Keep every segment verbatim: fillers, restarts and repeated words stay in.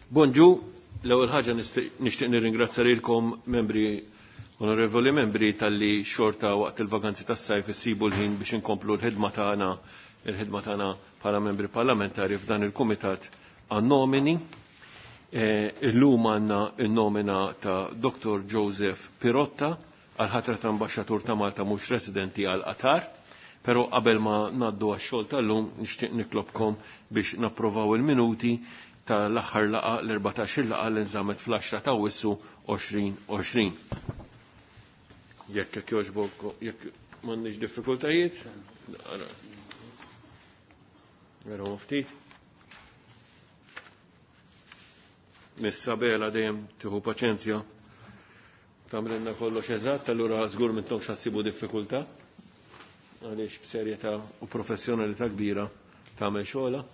Bonġu, l-ewwel ħaġa nixtieq nirringrazzja lilkom membri onorevoli membri talli xorta waqt il-vaganzi tas-sajf issibu l-ħin biex inkomplu l-ħidma tagħna il-ħidma tagħna bħala membri parlamentari f'dan il-kumitat għan-nomini. Eh, illum għandna n-nomina ta' Dr. Joseph Pirotta għal ħatra ta' ambaxxatur ta' Malta mhux residenti għal Qatar. Però qabel ma ngħaddu għax-xogħol tal-lum nixtieq nitlobkom biex napprovaw il-minuti tal-aħħar laqa l-erbatax-il laqa li nżammet fl-għaxra ta' Awwissu għoxrin għoxrin. Jekk jekk jogħġbok, jekk m'għandniex diffikultajiet, naraw ftit. Miss Sabela dejjem tieħu paċenzja tagħmlilna kollox eżatt, allura żgur m'intomx ħassibu diffikultà għaliex b'serjetà u professjonalità kbira tagħmel xogħla.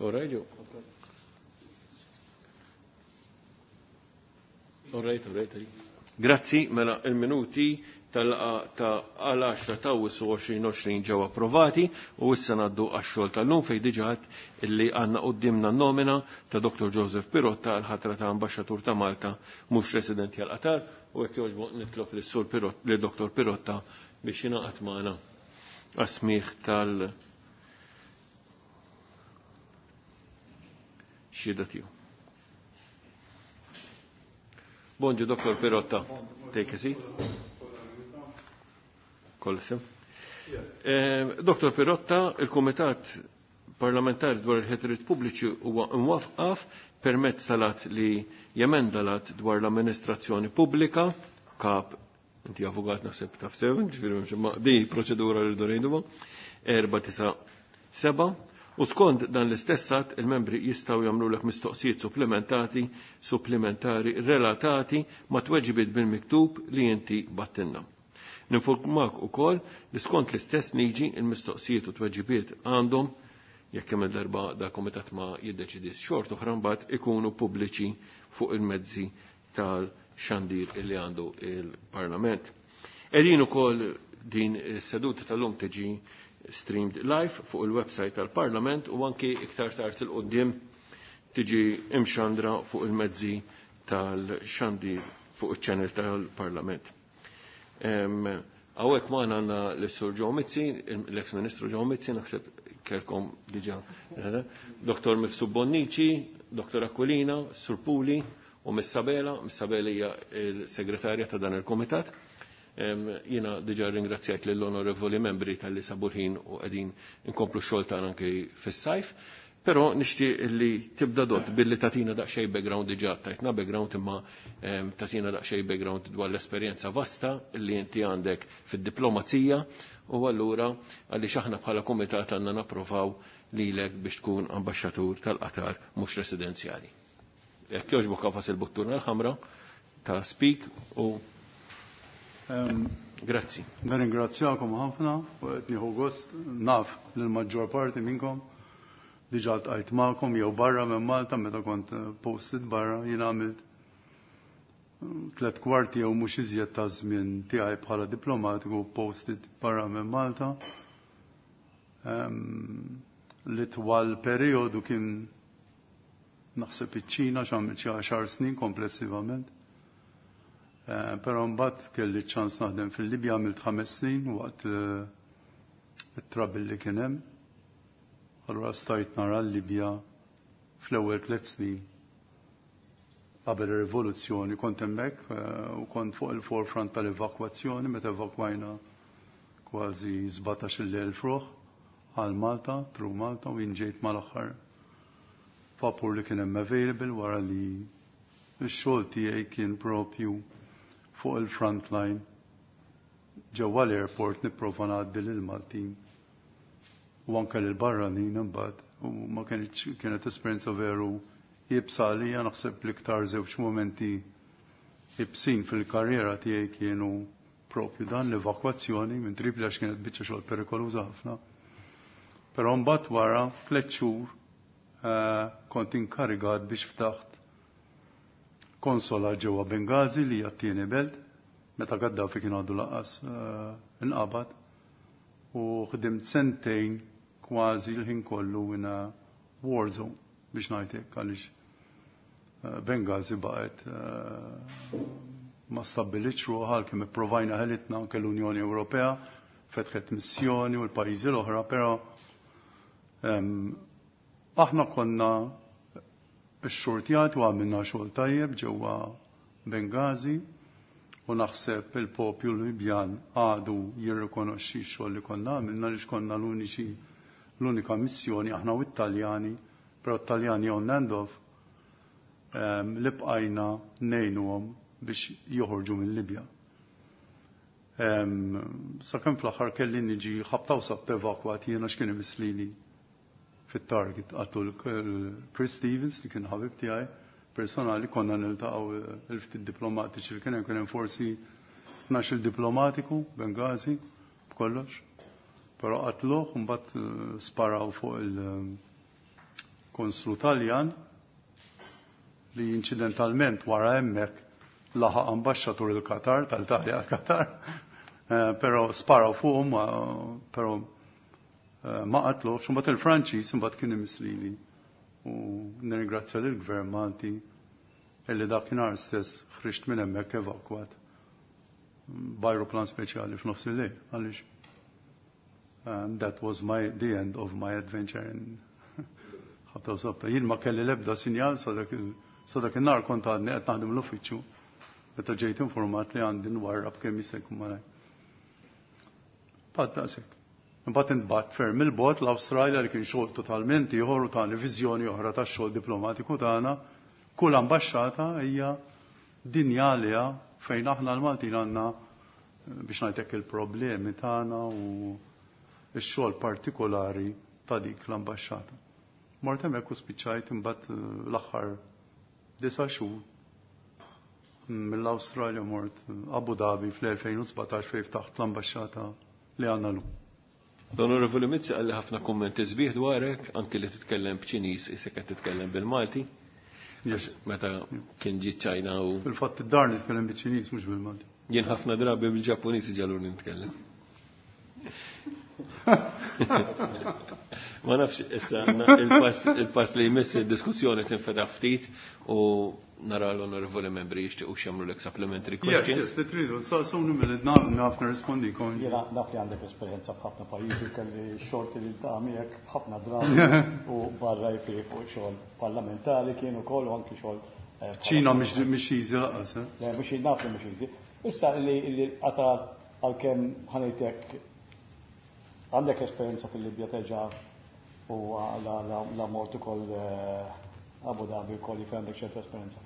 All right, Joe. All right, all right. Grazzi, mela il-minuti tal-laqa ta' għal għaxra ta' Awwissu għoxrin għoxrin ġew approvati u issa ngħaddu għax-xogħol tal-lum fejn diġà illi għandna qudiemna n-nomina ta' Dr. Joseph Pirotta għal ħatra ta' ambaxxatur ta' Malta mhux residenti għal Qatar u hekk jogħġbu nitlob lis-Sur Pirotta, lil Dr. Pirotta biex jingħaqad magħna għas-smigħ tal- xhieda tiegħu. Bonġu, Dr. Pirotta. Take a seat. Kolsem. Eh, Dr. Pirotta, il-Kumitat Parlamentari dwar il-ħetriet pubbliċi huwa imwaqqaf permezz salat li jemenda lat dwar l-amministrazzjoni pubblika, kap, inti avukat naħseb taf sew, ġifieri m'hemmx imma di proċedura li rridu ngħiduha, erba' tisa' seba' U skont dan l-istess att, il-membri jistgħu jagħmlulek mistoqsijiet supplementati, supplementari relatati ma' tweġibiet bil-miktub li inti battinna. Ninformak ukoll li skont l-istess liġi il-mistoqsijiet u tweġibiet għandhom jekk hemm il-darba da komitat ma jiddeċidi xort oħra mbagħad ikunu pubbliċi fuq il-mezzi tal-xandir li għandu il-Parlament. Qegħdin ukoll din is-seduta tal-lum tiġi streamed live fuq il-website tal-Parlament u anki iktar tard il-qoddim tiġi imxandra fuq il-mezzi tal-xandir fuq il-channel tal-Parlament. Hawnhekk magħna għandna l-Sur Joe Mizzi, l-ex-Ministru Joe Mizzi, naħseb kelkom diġà, Dr. Mifsud Bonnici, Dr. Aquilina, Sur Puli u Miss Sabela. Miss Sabela hija l-segretarja ta' dan il-Komitat. Jiena diġà ringrazzjajt lill-onorevoli membri tal-li sabu l-ħin u qegħdin inkomplu x-xogħol tagħna anke fis-sajf. Però nixtieq li tibda dot billi tatina daqsxejn background diġà tajtna background imma tatina daqsxejn background dwar l-esperjenza vasta li inti għandek fid-diplomazija u allura għaliex aħna bħala kumitat għandna napprovaw lilek biex tkun ambaxxatur tal-Qatar mhux residenzjali. Jekk jogħġbok qafas il-buttuna l-ħamra ta' speak u Grazzi. Nirringrazzjakom ħafna u qed nieħu gost naf lil maġġor parti minnkom diġà ltqajt magħkom jew barra minn Malta meta kont posted barra jien għamilt tliet kwarti jew mhux iżjed ta' żmien tiegħi bħala diplomatiku posted barra minn Malta. L-itwal periodu kien naħseb iċ-Ċina x'għamilt xi għaxar snin komplessivament. Eh, però mbagħad kelli ċans naħdem fil-Libja għamilt ħames snin waqt it-trouble li kien hemm. Allura stajt nara l-Libja fl-ewwel tliet snin qabel ir-rivoluzzjoni kont hemmhekk u kont fuq il-forefront tal-evakwazzjoni meta evakwajna kważi sbatax-il elf ruħ għal Malta, tru Malta u jien ġejt mal-aħħar vapur li kien hemm available wara li x-xogħol tiegħi kien propju fuq il-front line ġewwa l-airport nipprova ngħaddi lil Maltin u anke lil barranin imbagħad u ma kienx kienet esperjenza veru iebsa għalija. Naħseb l-iktar żewġ momenti iebsin fil-karriera tiegħi kienu propju dan l-evakwazzjoni minn Tripli, għax kienet biċċa xogħol perikoluża ħafna. Però mbagħad wara tliet xhur eh, kont inkarigat biex ftaħt konsola ġewwa Bengazi, li hija t-tieni belt, meta Gaddafi kien għadu lanqas eh, inqabad, u ħdimt sentejn kważi l-ħin kollu in a war zone, biex ngħidlek, għaliex eh, Bengazi baqgħet eh, ma stabbilitx ruħha kemm ipprovajna ħelitna. Anke l-Unjoni Ewropea fetħet missjoni u l-pajjiżi l-oħra, però em, aħna konna x-xortjat u għamilna xogħol tajjeb ġewwa Bengazi u naħseb il-popju Libjan għadu jirrikonoxxi x-xogħol li konna għamilna, li konna l-uniċi l-unika missjoni, aħna u t-Taljani, però t-Taljani on and off, em, li bqajna ngħinuhom biex joħorġu mill-Libja. Em, Sakemm fl-aħħar kelli niġi ħabta u sabt evakwat jiena x'kien imislili fit-target għattu l-Chris Stevens, li kien ħabib tiegħi personali. Konna niltaqgħu il-ftit diplomatiċi li kien hemm, kien hemm forsi tnax-il diplomatiku Bengazi b'kollox. Però qatluh, mbagħad eh, sparaw fuq il-konslu Taljan li incidentalment wara hemmhekk laħaq ambaxxatur il-Qatar, tal-Italja Qatar, eh, però sparaw fuqhom, però eh, ma qatlux. Mbagħad il-Franċiż imbagħad kien imislili u nirringrazzja lill-Gvern Malti illi dakinhar stess ħriġt minn hemmhekk evakwat b'ajruplan speċjali f'nofs il-lejl, għaliex and that was my the end of my adventure in ħabta u sabta. Jien ma kelli l-ebda sinjal sa dak il- sa dak in-nar kont għadni qed naħdem l-uffiċċju meta ġejt informat li għandi nwarrab kemm jista' jkun malajr. Bad daqshekk. Imbagħad intbagħat ferm il-bogħod l-Awstralja, li kien xogħol totalment ieħor u tani viżjoni oħra tax-xogħol diplomatiku tagħna. Kull ambaxxata hija dinja għaliha, fejn aħna l-Maltin għandna, eh, biex ngħidlek, il-problemi tagħna u x-xogħol partikolari ta' dik l-ambaxxata. Mort hemmhekk u spiċċajt imbagħad eh, l-aħħar disa' xhur mill-Awstralja mort Abu Dhabi fl-elfejn u sbatax, fejn ftaħt l-ambaxxata li għandna llum. L-Onorevoli Mizzi qalli ħafna kummenti sbieħ dwarek, anki li titkellem b'Ċiniż isek qed titkellem bil-Malti. Yes. Meta kien ġi ċajna u Fil-fatt id-dar nitkellem biċ-Ċiniż, mhux bil-Malti. Jien ħafna drabi bil-Ġappuniż ġaluni nitkellem. Ma nafx, issa il-pass il-pass li jmiss, il-diskussjoni tinfetaħ ftit u nara l-onorevoli membri jixtiequ x'jagħmlu lek supplementary Yes, questions. yes, li tridu, so so minute naf nirrispondikom. Jiena naf li għandek esperjenza f'ħafna pajjiżi, kelli xorti li ta' miegħek ħafna drabi u barra jfi fuq xogħol parlamentari kien ukoll u anki xogħol eh, ċina mhix mhix easy lanqas, eh? Le, mhux naf li mhux easy. Issa li li Qatar, għalkemm ħa ngħidlek għandek esperjenza fil-Libja teġa u la, la, la mort ukoll eh, Abu Dhabi ukoll li għandek ċertu esperjenza.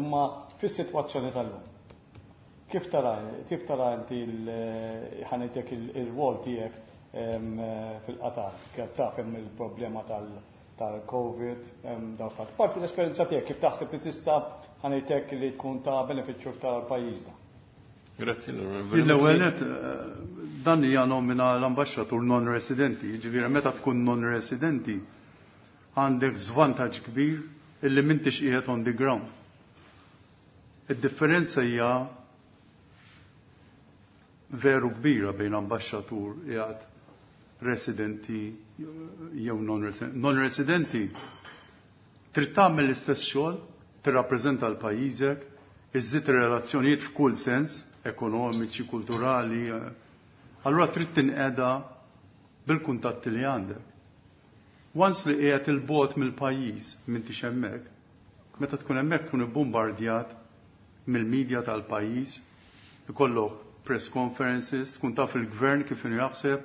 Imma fis-sitwazzjoni tal-lum, kif tara kif tara inti ħa ngħidlek il-rwol tiegħek em, eh, fil-Qatar? Kif taf hemm il-problema tal- tal-Covid, em, dawn fatt. Parti l-esperjenza tiegħek, kif taħseb li tista' ħa ngħidlek li tkun ta' benefiċċju tal-pajjiżna? Grazzi, l-Onorevoli L-ewwel Mizzi. net, eh, dan hija nomina l-ambaxxatur non-residenti, jiġifieri meta tkun non-residenti għandek żvantaġġ kbir illi m'intix qiegħed on the ground. Id-differenza hija veru kbira bejn ambaxxatur qiegħed residenti jew non-residenti. Non-residenti trid tagħmel l-istess xogħol, tirrappreżenta l-pajjiżek, iżżid relazzjonijiet f'kull sens, ekonomiċi, kulturali. eh. Allura trid tinqeda bil-kuntatti li għandek. Once li qiegħed il-bogħod mill-pajjiż, m'intix hemmhekk, meta tkun hemmhekk tkun ibbombardjat mill-medja tal-pajjiż, ikollok press conferences, tkun taf il-gvern kif inhu jaħseb,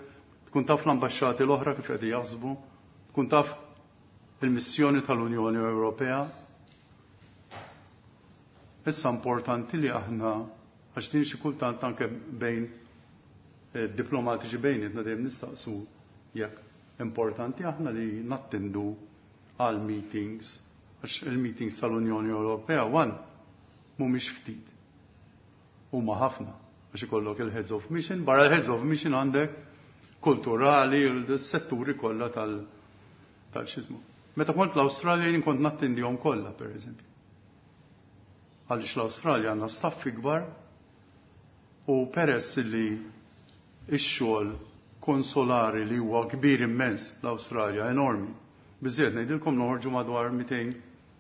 tkun taf l-ambaxxati l-oħra kif qed jaħsbu, tkun taf il-missjoni tal-Unjoni Ewropea. Issa importanti li aħna, għax din xi kultant anke bejn Diplomatiċi bejnietna dejjem nistaqsu jekk importanti aħna li nattendu għal meetings, għax il-meetings tal-Unjoni Ewropea wan mhumiex ftit. Huma ħafna għax ikollok il-heads of mission, barra l-heads of mission għandek kulturali, l-setturi kollha tal tal-xizmu. Meta kont l-Awstralja jien kont nattendihom kollha, pereżempju. Għaliex l-Awstralja għandna staff ikbar u peress li ix-xogħol konsolari li huwa kbir immens l-Awstralja, enormi. Biżżejjed ngħidilkom noħorġu madwar mitejn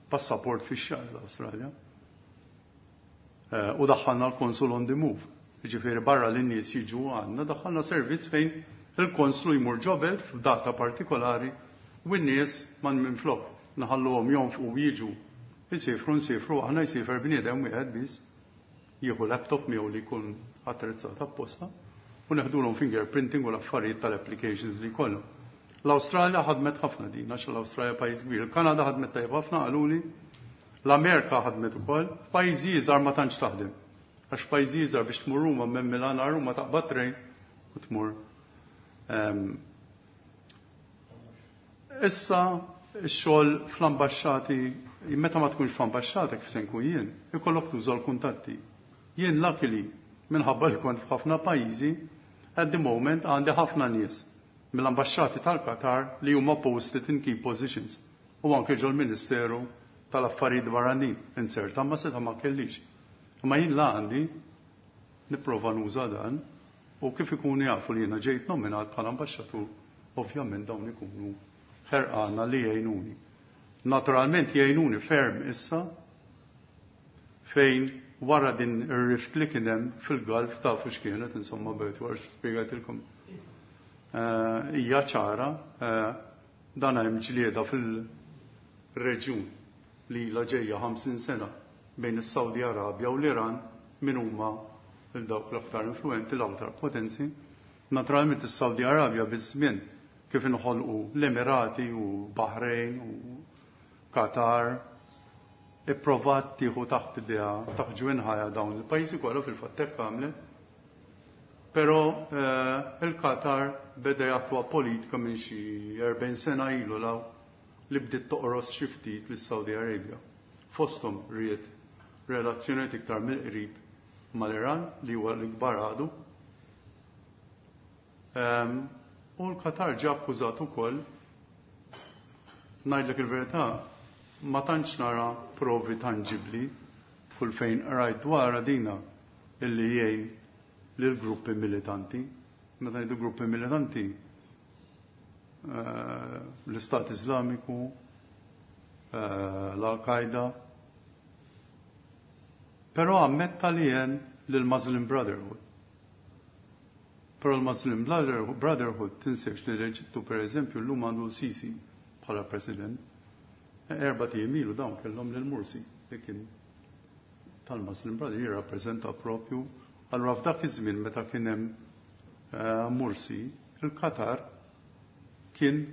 passaport fix-xahar l-Awstralja. U daħħalna l-konsul on the move. Jiġifieri barra li n-nies jiġu għandna daħħalna servizz fejn il-konslu jmur ġobel f'data partikolari u n-nies man minflok naħalluhom jonfqu u jiġu. Isifru, nsifru, aħna jsifer bniedem wieħed biss jieħu laptop miegħu li jkun attrezzat apposta u neħdulhom fingerprinting u l-affarijiet tal-applications li jkollhom. L-Awstralja ħadmet ħafna din, għax l-Awstralja pajjiż kbir. Il-Kanada ħadmet tajjeb ħafna qaluli, l-Amerika ħadmet ukoll, f'pajjiżi iżgħar ma tantx taħdem. Għax pajjiżi iżgħar biex tmur Ruma minn Milan għal Ruma taqbad trejn u tmur. Issa x-xogħol fl-ambaxxati, meta ma tkunx fl-ambaxxata kif se nkun jien, ikollok tuża l-kuntatti. Jien luckily minħabba li kont f'ħafna pajjiżi, at the moment għandi ħafna nies mill-ambaxxati tal-Qatar li huma posted in key positions u anke ġol-Ministeru tal-Affarijiet Barranin inserta ma seta' ma kellix. Imma jien la għandi nipprova nuża dan u kif ikunu jafu li jiena ġejt nominat bħala ambaxxatur, ovvjament dawn ikunu ħerqana li jgħinuni. Naturalment jgħinuni ferm issa fejn wara din ir-rift li kien hemm fil-Gulf tafu x'kienet, insomma bejt wara spjegajtilkom. Hija ċara, dan hemm ġlieda fil-reġjun li ilha ġejja ħamsin sena bejn is-Saudi Arabja u l-Iran min huma dawk l-aktar influenti, l-aktar potenzi. Naturalment is-Saudi Arabja biż-żmien kif inħolqu l-Emirati u Bahrain u Qatar ipprovat tieħu taħt idea taħt ġwinħajja dawn il-pajjiżi kollha fil-fatt hekk għamlet. Però il-Qatar beda jattwa politika minn xi erbgħin sena ilu law li bdiet toqros xi ftit lis-Saudi Arabia. Fosthom ried relazzjonijiet iktar mill-qrib mal-Iran li huwa l-ikbar għadu. U l-Qatar ġie akkużat ukoll, ngħidlek il-verità, ma tantx nara provi tangibbli kull fejn rajt dwar dina illi jgħin lil gruppi militanti. Meta ngħidu gruppi militanti, l-Istat Islamiku, l-Al-Qaeda, però ammetta li jgħin lill-Muslim Brotherhood. Però l-Muslim Brotherhood tinsiex li l-Eġittu per eżempju llum għandu Sisi bħala president. Erba' ijiem ilu dawn kellhom lil Mursi li kien tal-Muslim Brotherhood jirrappreżenta propju. Allura f'dak iż-żmien meta kien hemm Mursi, il-Qatar kien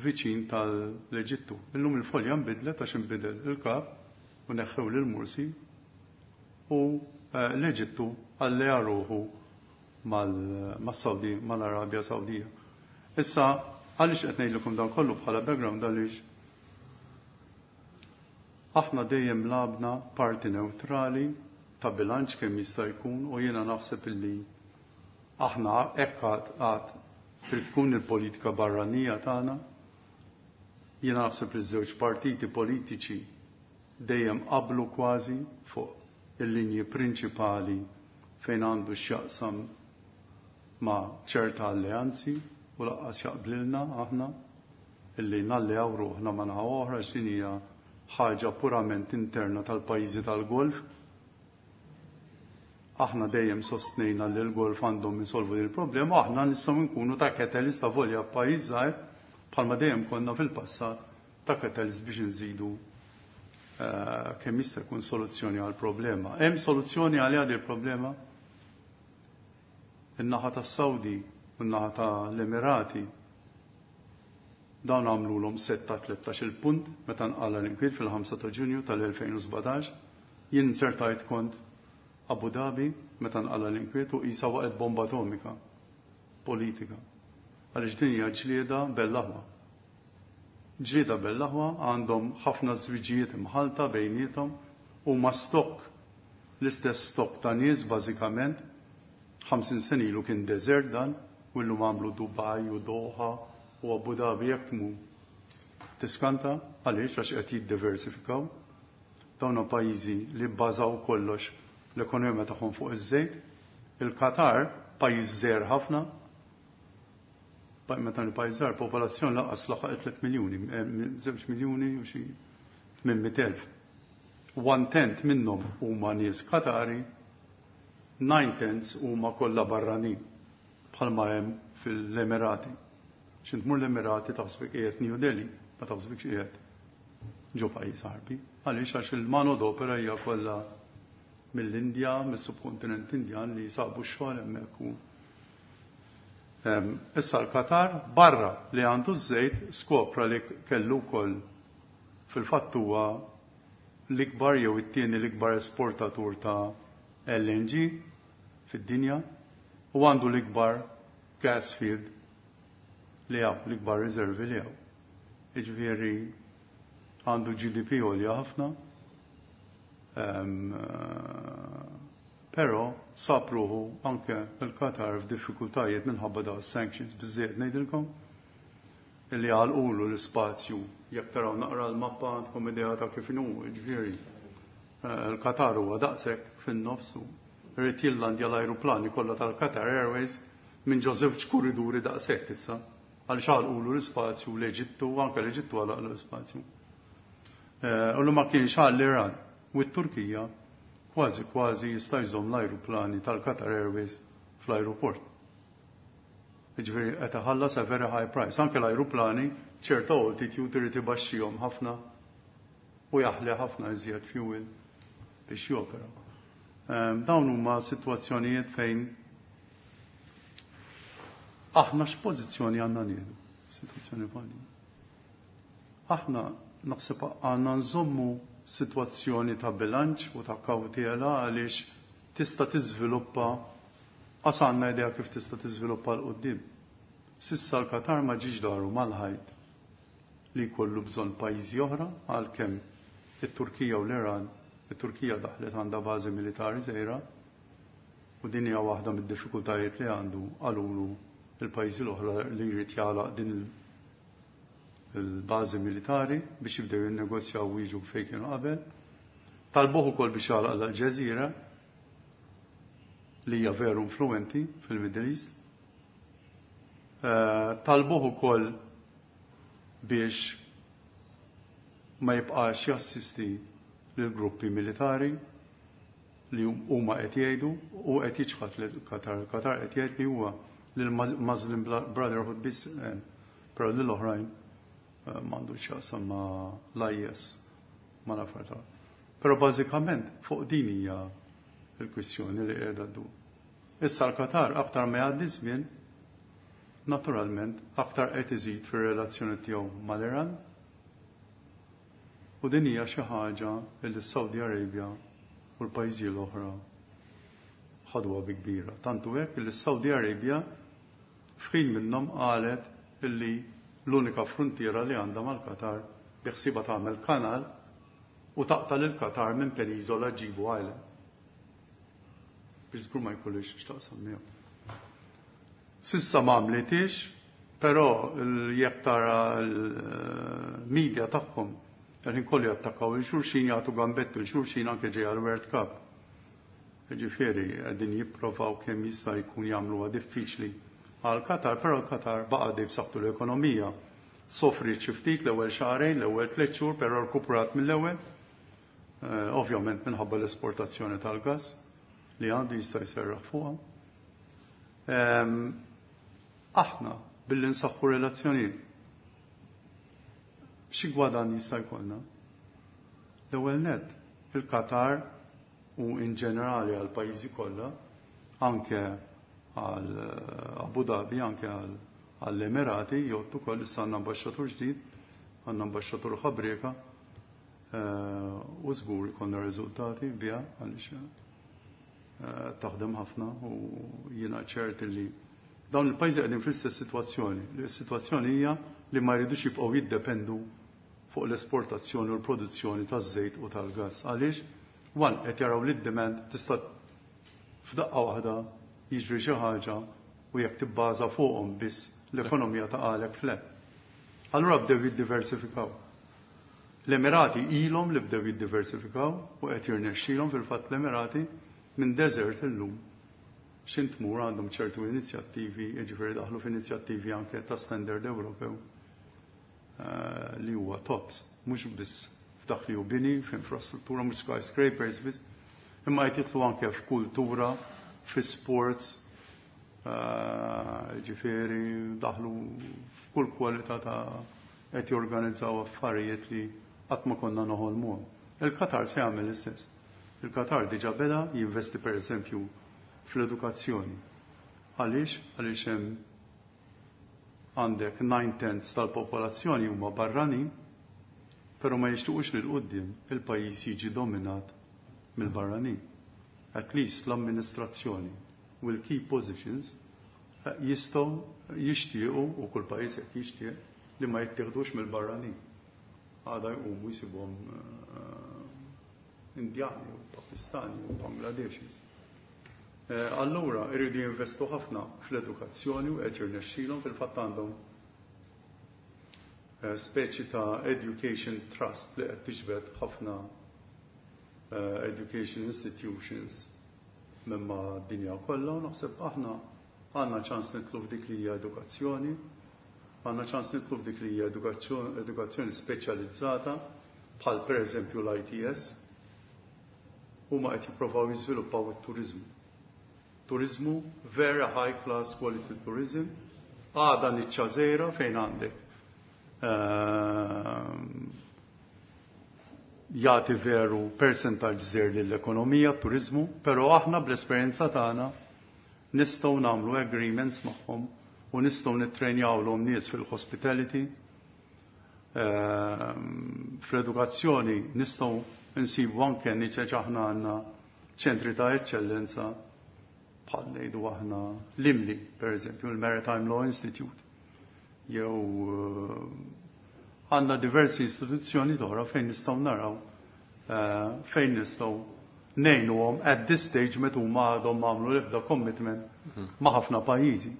viċin tal-Eġittu. Illum il-folja nbidlet għax inbidel il-kap u neħħew lil Mursi u l-Eġittu alleja ruħu mal-Saudi, mal-Arabja Sawdija. Issa, għaliex qed ngħidilkom dan kollu bħala background għaliex aħna dejjem labna parti neutrali ta' bilanċ kemm jista' jkun u jiena naħseb illi aħna hekk għad trid tkun il-politika barranija tagħna. Jiena naħseb li żewġ partiti politiċi dejjem qablu kważi fuq il-linji prinċipali fejn għandu x'jaqsam ma' ċerta alleanzi u laqqas jaqblilna aħna illi nalleaw ruħna ma' naħa oħra x'din hija ħaġa purament interna tal-pajjiżi tal-Golf. Aħna dejjem sostnejna li l-Golf għandhom isolvu din il-problema, aħna nistgħu nkunu ta' catalyst ta' volja pajjiż żgħir bħalma dejjem konna fil-passat ta' catalyst biex nżidu kemm jista' jkun soluzzjoni għal problema. Hemm soluzzjoni għal għadi il-problema? In-naħa tas-Sawdi u n-naħa tal-Emirati dawn għamlulhom setta tlettax il-punt meta nqala l-inkwiet fil-ħamsa ta' Ġunju tal-elfejn u sbatax. Jien insertajt kont Abu Dhabi meta nqala l-inkwiet u qisha waqgħet bomba atomika. Politika. Għaliex din hija ġlieda bell-aħwa. Ġlieda bell-aħwa għandhom ħafna żwiġijiet imħalta bejniethom u ma stokk l-istess stokk ta' nies bażikament. ħamsin sena ilu kien deżert dan u llum għamlu Dubai u Doha u Abu Dhabi jekk tmur. Tiskanta għaliex għax qed jiddiversifikaw. Dawn pajjiżi li bbażaw kollox l-ekonomija tagħhom fuq iż-żejt. Il-Qatar pajjiż żgħir ħafna. Meta l-pajjiż żgħar popolazzjoni lanqas laħaq tliet miljuni, żewġ miljuni u xi tmien mitt elf. One tenth minnhom huma nies Qatari, nine tenths huma kollha barranin bħalma hemm fil-Emirati. X'int tmur l-Emirati taħsbek qiegħed New Delhi, ma taħsbekx qiegħed ġo pajjiż Għarbi. Għaliex għax il-mano d'opera hija kollha mill-Indja, mis-subkontinent Indjan li sabu x-xogħol hemmhekk u issa l-Qatar barra li għandu ż-żejt skopra li kellu wkoll fil-fatt huwa l-ikbar jew it-tieni l-ikbar esportatur ta' L N G fid-dinja u għandu l-ikbar gas field li hawn, l-ikbar riservi li hawn. Jiġifieri għandu G D P għolja ħafna, però sab ruħu anke l-Qatar f'diffikultajiet minħabba dawn is-sanctions biżżejjed ngħidilkom illi għalqulu l-ispazju. Jekk taraw naqra l-mappa għandkom idea ta' kif inhu, jiġifieri l-Qatar huwa daqshekk fin-nofs u rrid jillandja l-ajruplani kollha tal-Qatar Airways minn ġo żewġ kuriduri daqshekk issa għaliex għalqulu l-ispazju l-Eġittu, anke l-Eġittu għalaq l-ispazju. U l ma kienx għal l-Iran u t-Turkija kważi kważi jista' jżomm l-ajruplani tal-Qatar Airways fl-ajruport. Jiġifieri qed iħallas a very high price. Anke l-ajruplani ċerta altitude irid ibaxxihom ħafna u jaħli ħafna iżjed fuel biex jopera. Ehm, dawn huma sitwazzjonijiet fejn aħna x'pożizzjoni għandna nieħdu f'sitwazzjoni bħal din. Aħna naħseb għandna nżommu sitwazzjoni ta' bilanċ u ta' kawtela għaliex tista' tiżviluppa qas għandna idea kif tista' tiżviluppa l quddiem. Sissa l-Qatar ma ġiex daru mal-ħajt li jkollu bżonn pajjiżi oħra għalkemm it-Turkija u l-Iran, it-Turkija daħlet għandha bażi militari żgħira u din hija waħda mid-diffikultajiet li għandu qalulu il-pajjiżi l-oħra li jrid jagħlaq din il-bażi militari biex jibdew jinnegozjaw u jiġu fejn kienu qabel. Talbuh ukoll biex jagħlaq l-Alġeżira li hija veru influenti fil-Middle East. Eh, talbuh ukoll biex ma jibqax jassisti lil gruppi militari li huma qed jgħidu u qed jiċħad lil Qatar. Qatar qed jgħid li huwa lil Muslim Brotherhood biss, eh, però lil oħrajn, eh, m'għandux x'jaqsam ma' l-I S, ma' l-affarijiet tal-. Però bażikament fuq din hija l-kwistjoni li qiegħda ddur. Issa l-Qatar aktar ma jgħaddi żmien, naturalment aktar qed iżid fir-relazzjoni tiegħu mal-Iran. U din hija xi ħaġa li s-Saudi Arabia u l-pajjiżi l-oħra ħadwa bi kbira. Tantu hekk li s-Saudi Arabia f'ħin minnhom qalet illi l-unika frontiera li għandha mal-Qatar biħsiba tagħmel kanal u taqta' lil Qatar minn peniżola ġibu Island. Biex żgur ma jkollix x'taqsam miegħu. Sissa ma għamlitix, però jekk tara l-media tagħhom qegħdin kollu jattakkaw il-xulxin, jagħtu gambettu l-xulxin anke ġejja l-World Cup. Jiġifieri qegħdin jipprovaw kemm jista' jkun jagħmluha diffiċli għal Qatar, però l-Qatar baqa' dejjem b'saħħtu l-ekonomija. Sofri xi ftit l-ewwel xahrejn, l-ewwel tliet xhur, però rkuperat mill-ewwel. Eh, ovvjament minħabba l-esportazzjoni tal-gas li għandu jista' jserraħ fuqha. Ehm, aħna billi nsaħħu relazzjonijiet xi gwadann jista' jkollna? L-ewwel nett, il-Qatar u in ġenerali għal pajjiżi kollha, anke għal Abu Dhabi, anke għal, għall-Emirati, jgħottu ukoll issa għandna ambaxxatur ġdid, għandna ambaxxatur ħabrieka, eh, u żgur ikollna riżultati biha għaliex, eh, taħdem ħafna u jiena ċert li Dawn il-pajjiżi qegħdin fl-istess sitwazzjoni. Is-sitwazzjoni hija li ma jridux jibqgħu jiddependu fuq l-esportazzjoni u l-produzzjoni taż-żejt u tal-gass. Għaliex? One, qed jaraw li d-demand tista' f'daqqa waħda jiġri xi ħaġa u jekk tibbaża fuqhom biss l-ekonomija taqgħalek flat. Allura bdew jiddiversifikaw. L-Emirati ilhom li bdew jiddiversifikaw u qed jirnexxilhom. Fil-fatt l-Emirati minn desert illum x'int tmur għandhom ċertu inizjattivi, jiġifieri daħlu f'inizjattivi anke ta' standard Ewropew eh, li huwa tops, mhux biss f'dak li hu bini, f'infrastruttura, mhux skyscrapers biss, imma qed jidħlu anke f'kultura, fi sports, eh, ġifieri daħlu f'kull kwalità ta' qed jorganizzaw affarijiet li qatt ma konna noħolmuhom. Il-Qatar se jagħmel l-istess. Il-Qatar diġà beda jinvesti, per eżempju, fl-edukazzjoni. Għaliex? Għaliex hemm għandek nine tenths tal-popolazzjoni huma barranin, però ma jixtuqux li l-qoddim il-pajjiż jiġi dominat mill-barranin. At least l-amministrazzjoni u l-key positions eh, jistgħu jixtiequ, u kull pajjiż jekk jixtieq, li ma jittieħdux mill-barranin. Għada jqumu jsibhom eh, Indjani u Pakistani u Bangladeshis. Eh, allura irridu jinvestu ħafna fl-edukazzjoni u qed jirnexxilhom. Fil-fatt għandhom eh, speċi ta' education trust li qed tiġbed ħafna eh, education institutions minn mad-dinja kollha, u naħseb aħna għandna ċans nidħlu f'dik li hija edukazzjoni, għandna ċans nidħlu f'dik li hija edukazzjoni speċjalizzata bħal pereżempju l-I T S, huma qed jippruvaw jiżviluppaw it-turizmu. Turizmu, very high class quality tourism, għada niċċa żgħira fejn għandek ehm, jagħti veru percentaġġ żgħir lill-ekonomija, turizmu, però aħna bl-esperjenza tagħna nistgħu nagħmlu agreements magħhom u nistgħu nittrejnjawlhom nies fil-hospitality, ehm, fl-edukazzjoni nistgħu nsibu anke niċeċ. Aħna għandna ċentri ta' eċċellenza bħal ngħidu aħna l-I M L I, per eżempju, il-Maritime Law Institute, jew eh, għandna diversi istituzzjoni oħra fejn nistgħu naraw eh, fejn nistgħu ngħinuhom at this stage meta huma għadhom għamlu l-ebda commitment mhm. ma' ħafna pajjiżi.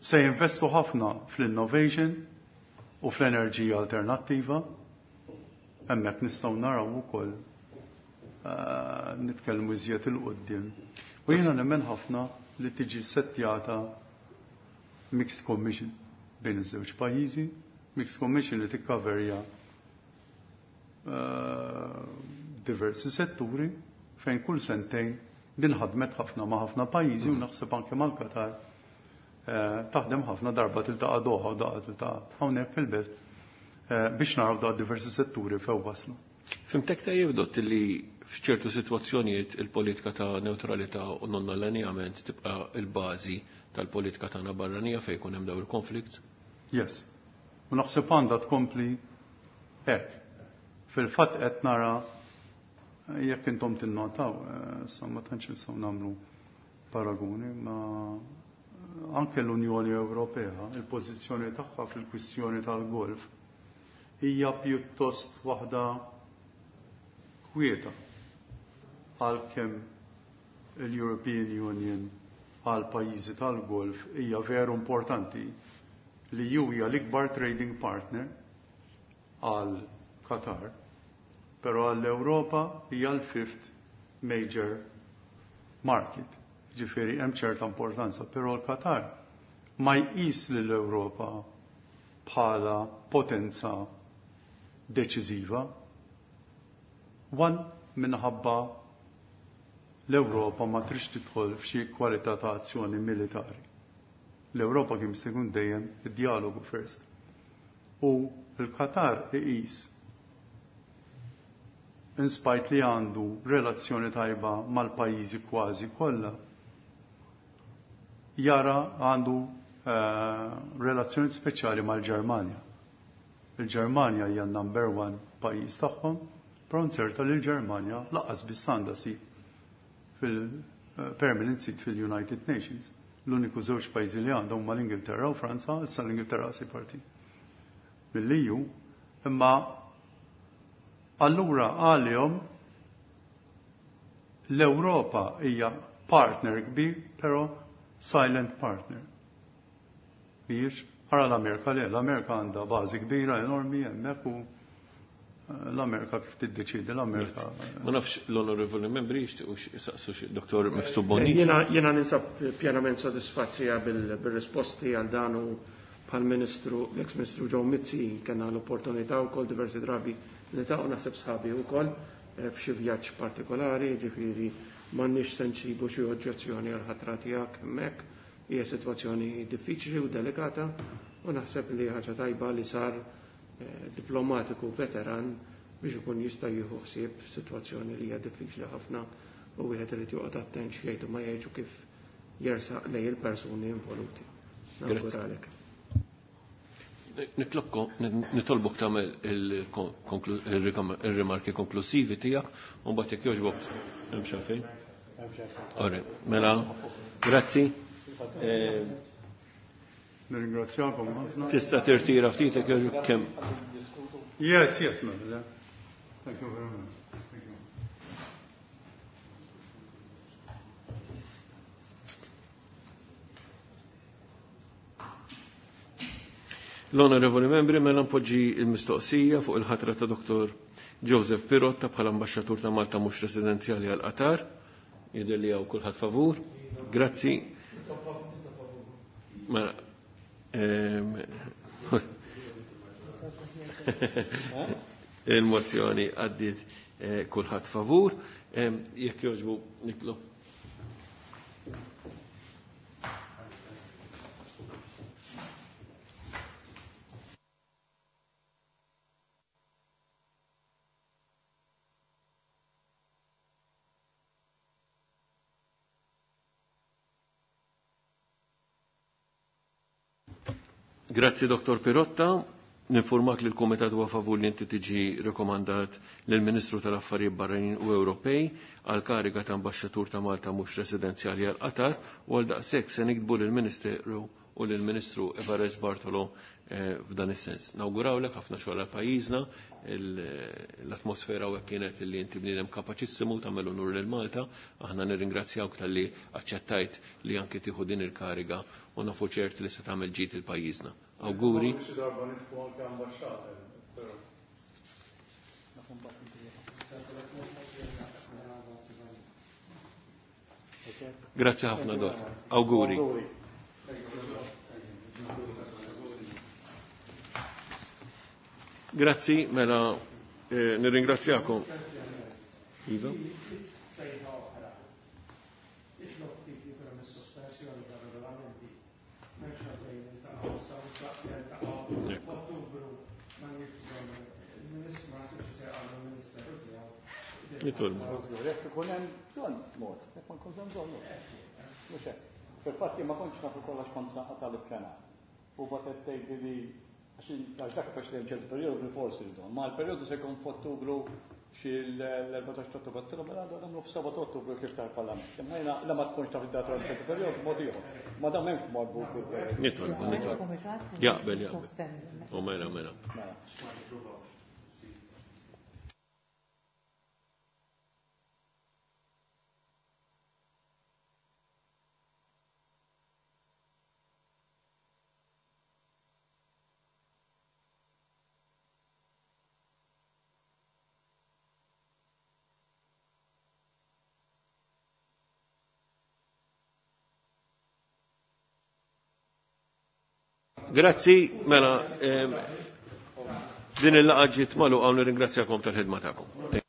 Se jinvestu ħafna fl-innovation u fl-enerġija alternattiva, hemmhekk nistgħu naraw ukoll eh, nitkellmu iżjed 'il quddiem. U jiena nemmen ħafna li tiġi settjata mixed commission bejn iż-żewġ pajjiżi, mixed commission li tikkaverja eh, diversi setturi fejn kull sentejn. Din ħadmet ħafna ma' ħafna pajjiżi u naħseb anke mal-Qatar eh, taħdem ħafna, darba tiltaqa' Doha u darba tiltaqa' hawnhekk fil-belt eh, biex naraw da diversi setturi fejn waslu. Fhimtek tajjeb, Dott, li f'ċertu sitwazzjonijiet il-politika ta' neutralità u non allineament tibqa' il-bażi tal-politika tagħna barranija fejn jkun hemm dawn il-konflikt? Yes. U naħseb għandha tkompli hekk. Fil-fatt qed nara, jekk intom tinnotaw, eh, sa ma tantx nistgħu nagħmlu paragoni, ma anke l-Unjoni Ewropea, il-pożizzjoni tagħha fil-kwistjoni tal-Golf hija pjuttost waħda kwieta, għalkemm l-European Union għal pajjiżi tal-Golf hija veru importanti, li ju hija l-ikbar trading partner għal Qatar, però għall-Ewropa hija l-fifth major market. Ġifieri hemm ċerta importanza, però l-Qatar ma jqis lill-Ewropa bħala potenza deċiżiva. One, minħabba l-Ewropa ma trix tidħol f'xi kwalità ta' azzjoni militari. L-Ewropa kien se jkun dejjem id-dialogu first. U l-Qatar iqis, in spite li għandu relazzjoni tajba mal-pajjiżi kważi kollha, jara għandu uh, relazzjoni speċjali mal-Ġermanja. Il-Ġermanja hija number one pajjiż tagħhom, però nzerta li l-Ġermanja lanqas biss għandha seat permanent seat fil-United Nations. L-uniku żewġ pajjiżi li għandhom huma l-Ingilterra u Franza, issa l-Ingilterra si parti mill-E U, imma allura għalihom l-Ewropa hija partner kbir, però silent partner. Mhijiex ara l-Amerika le, l-Amerika għandha bażi kbira enormi hemmhekk u l-Amerika kif tiddeċidi l-Amerika. Ma nafx l-onorevoli membri jixtiequ jisaqsu xi Doktor Mifsud Bonnici. Jiena jiena ninsab pjenament sodisfazzija bil-risposti għal dan u bħal-Ministru, l-ex-Ministru Joe Mizzi kellna l-opportunità wkoll diversi drabi niltaqgħu naħseb sħabi wkoll f'xi vjaġġ partikolari, ġifieri m'għandniex se nsibu xi oġġezzjoni għal ħatra tiegħek hemmhekk. Hija sitwazzjoni diffiċli u delikata u naħseb li ħaġa tajba li sar diplomatiku veteran biex ikun jista' jieħu ħsieb sitwazzjoni li hija diffiċli ħafna u wieħed irid joqgħod attent x'jgħidu ma jgħidu kif jersaq lejn il-persuni involuti. Nawguralek. Nitlobkom, nitolbok tagħmel il-rimarki konklusivi tiegħek u mbagħad jekk jogħġbok hemm xi għalfejn. Ore, mela, grazzi. Nirringrazzjakom ħafna. Tista' tirtira ftit jekk jogħġbok kemm. Yes, yes, mela. Thank you very much. Thank you. L-onorevoli membri, mela npoġġi il-mistoqsija fuq il-ħatra ta' Doktor Joseph Pirotta bħala ambaxxatur ta' Malta mhux residenzjali għal Qatar. Jidher li hawn kulħadd favur. Grazzi. Mela, il-mozzjoni għaddiet kulħadd favur. Jekk jogħġbu nitlob. Grazzi Doktor Pirotta, ninformak li l-Komitat huwa favur li inti tiġi rekomandat lill-Ministru tal-Affarijiet Barranin u Ewropej għal kariga ta' ambaxxatur ta' Malta mhux residenzjali għal Qatar u għal daqshekk se nikdbu lill-Ministeru u lill-Ministru Evarist Bartolo f'dan is-sens. Nawgurawlek ħafna xogħol għal pajjiżna, l-atmosfera hawnhekk kienet li inti bniedem kapaċissimu tagħmel unur lil Malta, aħna nirringrazzjawk talli aċċettajt li anke tieħu din il-kariga u nafu ċert li se tagħmel ġid il pajjiżna. Awguri. Grazie ħafna dott. Awguri. Grazzi, mela eh, nirringrazzjakom. Iva. Nitolbu. Jekk ikun hemm bżonn mod, jekk ma jkunx hemm bżonn mod. Mhux hekk. Fil-fatt jien ma kontx naf ukoll għax kont tal-ippjanar. U bagħad tgħidli li għax dak biex li ċertu perjodu bil-forsi bżonn, ma l-perjodu se jkun f'Ottubru xi l-erbatax ta' Ottubru, għattilhom mela nagħmlu f'seba' ta' Ottubru kif tal-Parlament. Imma jiena la ma tkunx taf id-data għal ċertu perjodu mod ieħor. Ma dan m'hemmx marbut bil-perjodu. Nitolbu, nitolbu. Jaqbel, jaqbel. U mela, mela. Grazzi, mela, din il-laqgħa ġiet magħluqa u nirringrazzjakom tal-ħidma tagħkom.